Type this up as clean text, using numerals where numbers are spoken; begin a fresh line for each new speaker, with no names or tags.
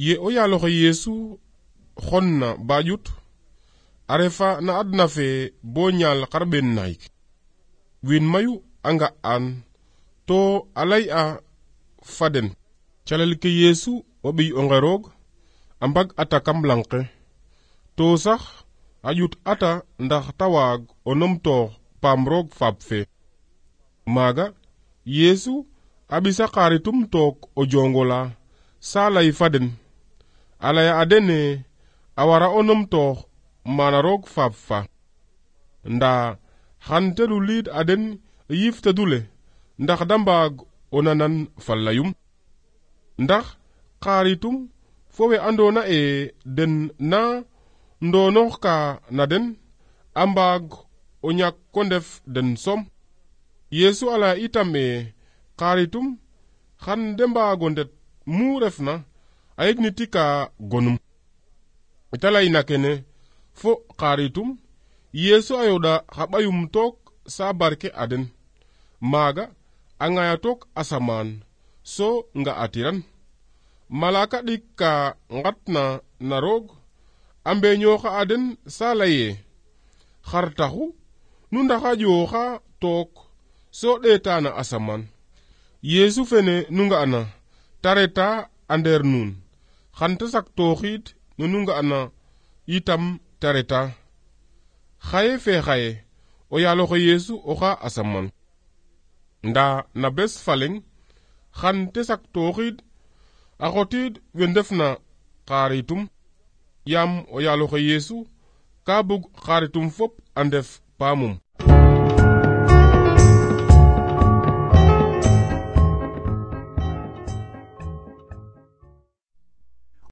Ye o yaaloxe Yeesu xonna ba ƴut a refa na adna fe bo ñaal xarɓeen naxik. Wiin mayu a nga an to a ley'a fa den calel ke Yeesu o ɓiy onqe roog a mbag ata kam lang ke, to sax a ƴut ata ndax ta waag o numtoox paam roog faap fe. Maaga Yeesu a ɓisa xaritum took o jongola sa ley fa den, a leya a dene a wara o numtoox mana roog faap fa. Ndaa xan te luliid a den yiif tedule ndax da mbaag o nanan fa leyum. Ndax xaritum fo we andoona den na ndonoox ka na den a mbaag o ñak ko ndef den som. Yeesu a leya itam xaritum xan de mbaago ndet mu refna a yegniti ka gonum. Ita leyna kene fo xaritum Yeesu a yoɗa xa ɓayum took sa barke a den. Maaga a ŋaya took asamaan so nga'atiran. Malaka ɗik ka ngatna na roog a mbeñooxa a den sa leye, xar taxu nu ndaxaƴooxa took so ɗeeta na asamaan. Yeesu fene nu nga'na ta reta a ndeer nuun, xan ta saktooxiid nu nga'na yitam ta reta. Xaye fe xaye o yaaloxe Yeesu oxa asamaan. Ndaa na bes fa leŋ xan te saktooxiid a xotiid we ndefna xaritum, yaam o yaaloxe Yeesu ka bug xaritum fop a ndef paamum.